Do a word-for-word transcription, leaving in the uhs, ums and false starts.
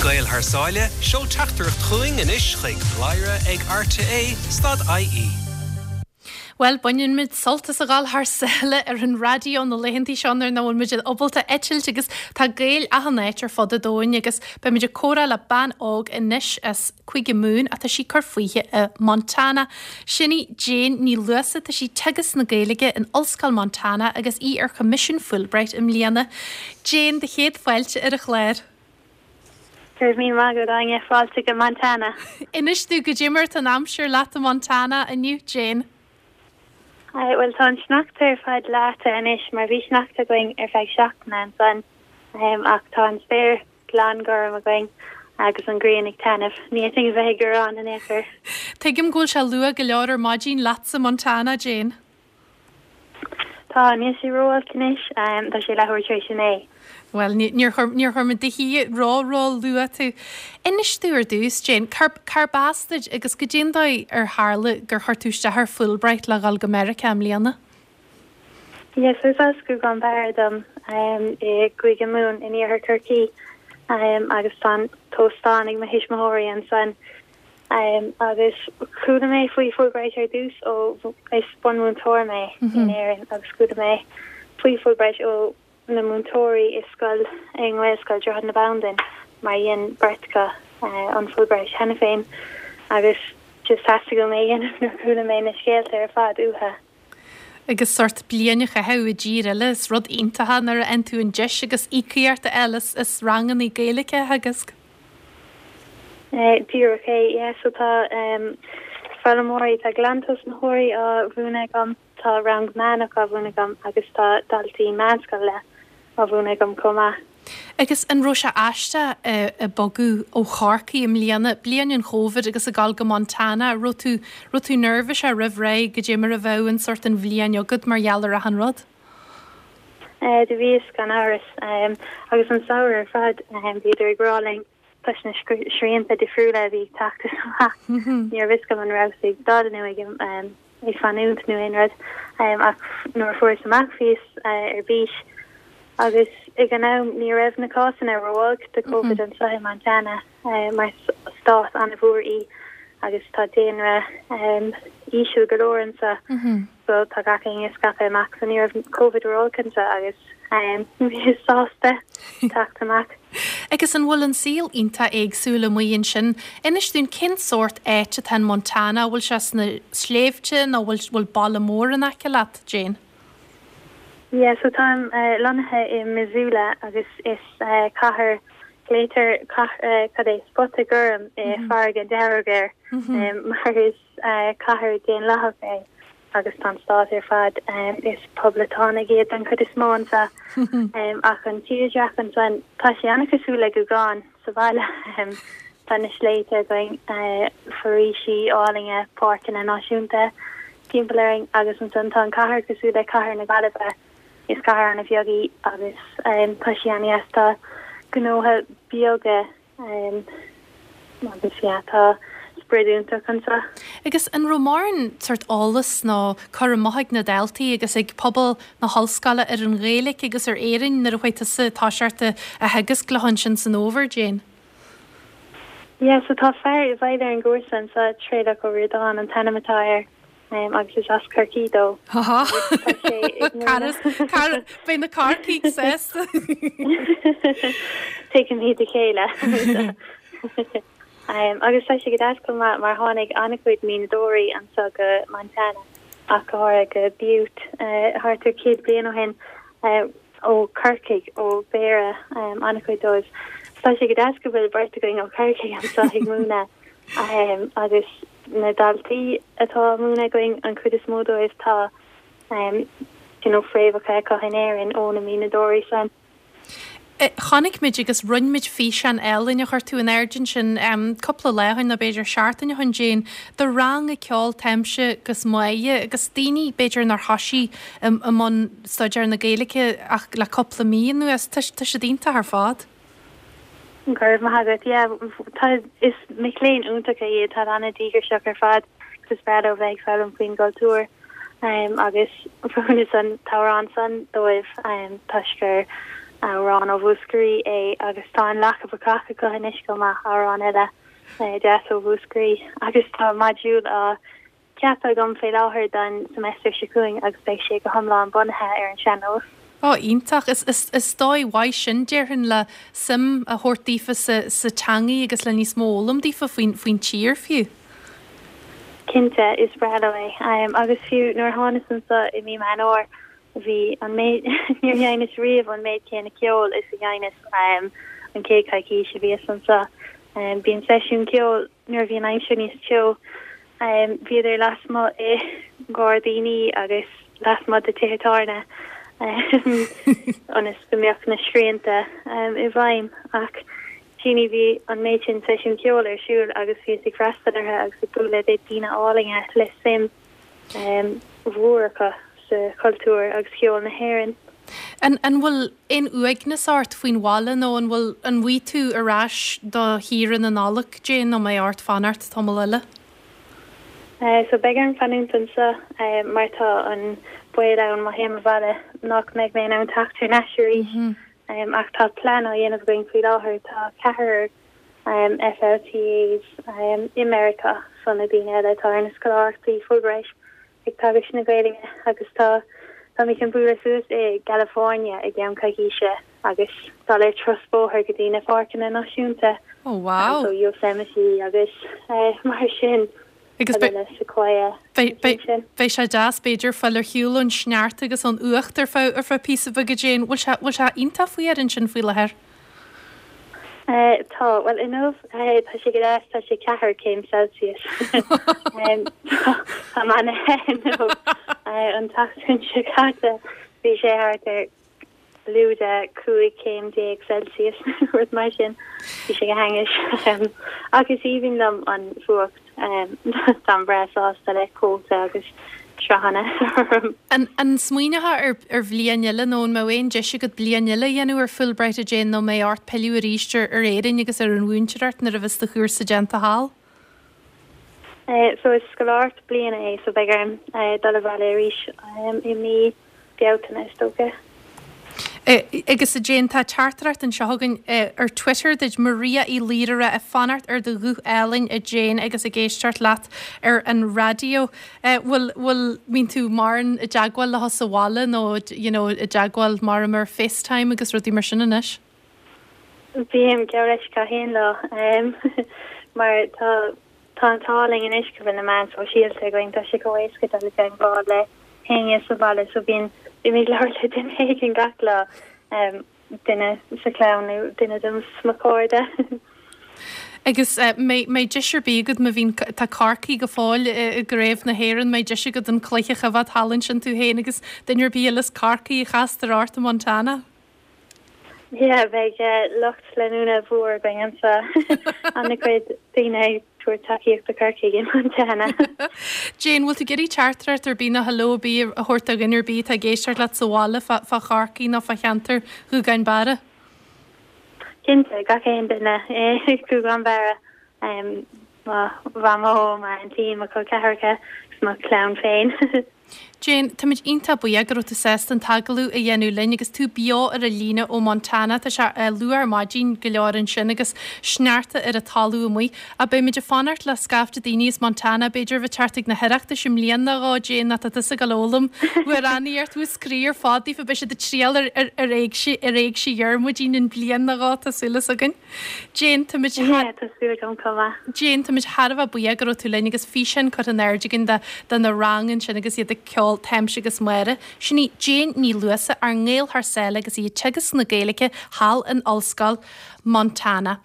Gael thar sáile seol teachtaireacht chugainn anois chuig bladhaire ag RTÉ dot IE. Well baineann muid sult as a ghabháil thar sáile ar an raidió na laethanta seo nuair nach bhfuil muid ábalta eitilt agus tá Gaeil achan áit ar fud an domhain agus beimid ag comhrá le bean óg anois as Cúige Mumhan atá sí ag cur fúithi i Montana. Sin í Jane Ní Luasa tá sí ag teagasc na Gaeilge in Ollscoil Montana agus í ar Choimisiún Fulbright i mbliana. Jane do chéad fáilte ar an chlár. Go raibh míle maith agat Áine fáilte go Montana. Inis domh goidé mar atá an aimsir leat i Montana inniu Jane. Well tá an sneachta ar fad leáite anois mar bhí sneachta againn ar feadh seachtaine ansan um, ach tá an spéir glan gorm againn agus an ghrian ag taitneamh. Ní fhéadfainn a bheith ag gearán in aon chor. Tuigim go bhfuil sé luath go leor ar maidin leatsa Montana Jane. Tá níl sé ró-olc anois um, tá sé leathuair tar éis a naoi. Well níor chuir muid di ró ró luath tú. Inis domh ar dtús Jane, cárb as duit agus goidé an dóigh ar tharla gur chuir tú isteach ar Fulbright le dhul go Meiriceá i mbliana. Yes, is as Gougán Barra dom um, i gCúige Mumhan in iarthar Chorcaí um, agus tá óstán ag mo thuismitheoirí ansan. Um, agus chuala mé faoi Fulbright ar dtús ó is bunmhúinteoir mé mm -hmm. in Éirinn agus chuala mé faoi Fulbright ó na múinteoirí i scoil i nGaelscoil Droichead na Bandan mar dhein beirt acu uh, an Fulbright cheana féin agus just theastaigh mé nuair chuala mé na scéalta ar fad uathu. Agus sórt bliain a chaitheamh i dtír eile is rud iontach nuair a fhaigheann tú an deis agus íocaíocht eile is ranganna Gaeilge a theagasc. Uh, Díreach é yeah, so tá um, foghlaimeoirí tá glantosnaitheoirí á mhúineadh agam tá rang meánach á mhúineadh agam agus tá daltaí meánscoile á mhúineadh agam chomh maith. Agus an raibh sé aisteach ag bogadh ó Chorcaigh i mbliana, bliain an Covid agus ag dul go Montana, raibh tú raibh tú neirbhíseach roimh ré goidé mar a bheadh an sórt an bhliain agat mar gheall ar achan rud? Uh, do bhíos gan amhras um, agus an samhradh ar fad um, bhíodar ag rá linn toisc na srianta difriúla bhí ag teacht amach ní raibh a fhios agam an raibh ag dul nó ag um, ag fanúint nó aon rud um, ach nuair fuaireas amach bhíos uh, ar bís agus ag an am ní raibh na cásanna ró-olc de COVID anseo i Montana uh, mar stát an-mhór í agus tá daonra um, íseal go leor anseo so tá gach éinne scaipthe amach so ní raibh COVID ró-olc anseo agus um, bhí sásta teacht amach. Agus an bhfuil an saol iontach éagsúil amuigh ansin, Inis dúinn cén sórt áit atá in Montana, bhfuil sé sna sléibhte nó bhfuil bhfuil baile mór in aice leat, Jane? Yeah, so táim uh, lonnaithe i Missoula agus is uh, cathair glaotar uh, cad é spota gorm i mm -hmm. farraige dearg air mm -hmm. um, mar is uh, cathair daonlathach é agus tá stát ar fad um, is poblachtánaigh iad an chuid is mó anseo um, ach an tírdhreach ansan tá sé an-chosúil le Gougán sa bhaile um, tá na sléibhte againn uh, foraoisí álainne páirceanna náisiúnta timpeall orainn agus ansan tá an cathair cosúil le cathair na Gaillimhe is cathair an-bheag í agus um, tá sé an-deas tá gnótha beaga um, agus yeah, tá sprid iontach anseo. Agus an raibh mórán sórt eolas nó cur amach ag na daltaí agus ag pobal na hollscoile ar an Ghaeilge agus ar Éirinn nuair a chuaigh tusa toiseacht a theagasc leo ansin san fhómhar Jane. Yeah, so tá fear i bhfeighil ar an gcúrsa anseo Traolach Ó Ríordáin an t-ainm atá air um, agus is as Corcaigh dó. Beidh na Corcaígh sásta. Tuigimid a chéile. Um, agus tá sé go deas mar mar tháinig an-chuid mianadóirí anseo go Montana ach go háirithe go Butte uh, thart ar céad bliain ó shin uh, ó Corcaigh ó Béarra um, an-chuid dóibh. Tá sé go deas go bhfuil beirt againn ó Corcaigh anseo ag múineadh um, agus na daltaí atá á múineadh againn an chuid is mó dóibh tá um, you know, fréamhacha acu in Éirinn ó na mianadóirí san. Chonaic muid agus rinne muid físeán álainn a chuir tú in airde ansin um, cúpla lá ó shin nó b'fhéidir seachtain ó shin Jane, do rang ceoil Taimse agus Máighe agus daoine b'fhéidir nár thosaigh i mbun staidéar na Gaeilge ach le cúpla mí anuas tá siad iontach ar fad. Go raibh maith agat yeah, tá is mic léinn iontacha iad tá an-díograiseach ar fad agus is breá leo bheith ag foghlaim faoin gcultúr um, agus mhúineas an t-amhrán san dóibh um, toisc gur Amhrán ó Mhúscraí é agus tá an Lacha Bacach acu anois chomh maith, amhrán eile deas ó Mhúscraí agus tá module á cheapadh agam fé láthair don semester seo chugainn agus beidh sé go hiomlán bunaithe ar an sean-nós. Ó, iontach. Is, is, is dóigh mhaith sin, déarfainn, le suim a thabhairt daofa sa, sa teangaidh agus le níos mó a fhoghlaim daofa faoin, faoin tír fiú. Cinnte, is breá leo é. Agus fiú nuair a thánas anso i mí Meán Fhómhair, bhí an méid, níor sheinneas riamh an méid céanna ceoil is a sheinneas an chéad choicís a bhíos anso. Bíonn seisiún ceoil nuair a bhí an aimsir níos teo. Bhíodar lasmuigh i ngairdíní agus lasmuigh de tithe tábhairne ionas go mbeadh na srianta i bhfeidhm. Ach Jeannie bhí an méid sin seisiún ceoil ar siúl agus bhíos ag freastal orthu agus ag bualadh le daoine álainne le suim mhór acu sa chultúr agus cheol na hÉireann. An an bhfuil aon uaigneas ort faoin bhaile nó an bhfuil an bhfaighidh tú ar ais do shaoire na Nollag, Jane, nó mbeidh ort fanacht tamall eile? So beidh orm fanúint anseo mar tá an baol ann má théim abhaile nach mbeidh mé in ann teacht thar n-ais arís. Ach tá plean á dhéanamh againn faoi láthair, tá ceathrar FLTAs i Meiriceá, so na daoine eile atá ar na scoláireachtaí Fulbright ag teagasc na Gaeilge agus tá táimid chun bualadh suas i gCalifornia i gceann coicíse agus dul ar turas bóthair go dtí na páirceanna náisiúnta. Oh wow! So Yosemite agus mar sin. Agus beidh sé deas b'fhéidir fáil ar shiúl ón sneachta agus ón fhuacht ar feadh ar feadh píosa beag a Jane. Bhfuil sé bhfuil sé iontach fuar ansin faoi láthair? Tá, bhuel inniu tá sé go deas, tá sé ceathair céim Celsius. Tá mé ana-the inniu. An tseachtain seo caite bhí sé thart ar lúide cúig céim déag Celsius nó rud mar sin. Bhí sé go hainnis. Ach is aoibhinn liom an fuacht. Táim breá sásta le cóta agus sraitheanna orm. An an smaoineofá ar ar bhliain eile nó an mbeadh aon deis agat bliain eile a dhéanamh ar Fulbright a Jane nó mbeidh ort pilleadh arís ar ar Éirinn agus ar an mhúinteoireacht nuair a bheas do chúrsa déanta thall? So is scoláireacht bliana é so beidh orm dul abhaile arís i mí Bealtaine is dócha. Agus a Jane, tá teachtaireacht anseo againn ar Twitter duit, Maria Uí Laoire ag fanacht ar do ghuth álainn a Jane agus ag éisteacht leat ar an raidió. Bhfuil, bhfuil, mbíonn tú mórán i dteagmháil leo sa bhaile nó you know i dteagmháil mar ar FaceTime agus rudaí mar sin anois? Bím, geall leis gach aon lá mar tá tá an t-ádh linn anois go bhfuil na meáin sóisialta againn, tá sé chomh éasca dul i dteagmháil le héinne sa bhaile so bíonn bím ag labhairt le duine éigin gach lá, duine sa chlann nó duine de mo chairde. Agus mbeidh deis ar bith agat má bhíonn, tá Corcaigh go fóill i gCraobh na hÉireann, mbeidh deis agat an cluiche a choimhéad thall ansin tú féin agus duine ar bith eile as Corcaigh a chastar ort i Montana? Yeah, beidh lucht leanúna mhór againn anseo, an-chuid daoine ag tabhairt tacaíocht do Chorcaigh i Montana. Jane, bhfuil tú ag iarraidh teachtaireacht ar bith nó hello ar bith a thabhairt do dhuine ar bith atá ag éisteacht leat sa bhaile fá fá Chorcaigh nó fá cheantar Ghúgán Barra? Cinnte, gach aon duine i Gúgán Barra, mo mhamó, m'aintín, mo chol ceathracha agus mo chlann féin. Jane, táimid iontach buíoch go raibh tú sásta an t-agallamh a dhéanamh linn agus tú beo ar an líne ó Montana. Tá sé luath ar maidin go leor ansin agus sneachta ar an talamh amuigh. Ach beimid ag fanacht le scaifte daoine as Montana, b'fhéidir, a bheith ag teacht ag na hOireachtais i mbliana nó dhó, Jane, nó tá tusa ag dul a fhoghlaim amhránaíocht Mhúscraí ar fad daofa. Beidh siad ag triall ar ar Éigse ar Éigse Dhiarmuidín i mbliain nó dhó, tá súil as againn. Jane, táimid Yeah, tá súil agam chomh maith. Jane, táimid thar a bheith buíoch go raibh tú linn agus físeán curtha in airde againn de de na rang ansin agus iad ag ceol Táimse agus Máire. Sin í Jane Ní Luasa, ár nGael thar sáile agus í ag teagasc na Gaeilge thall in Ollscoil Montana.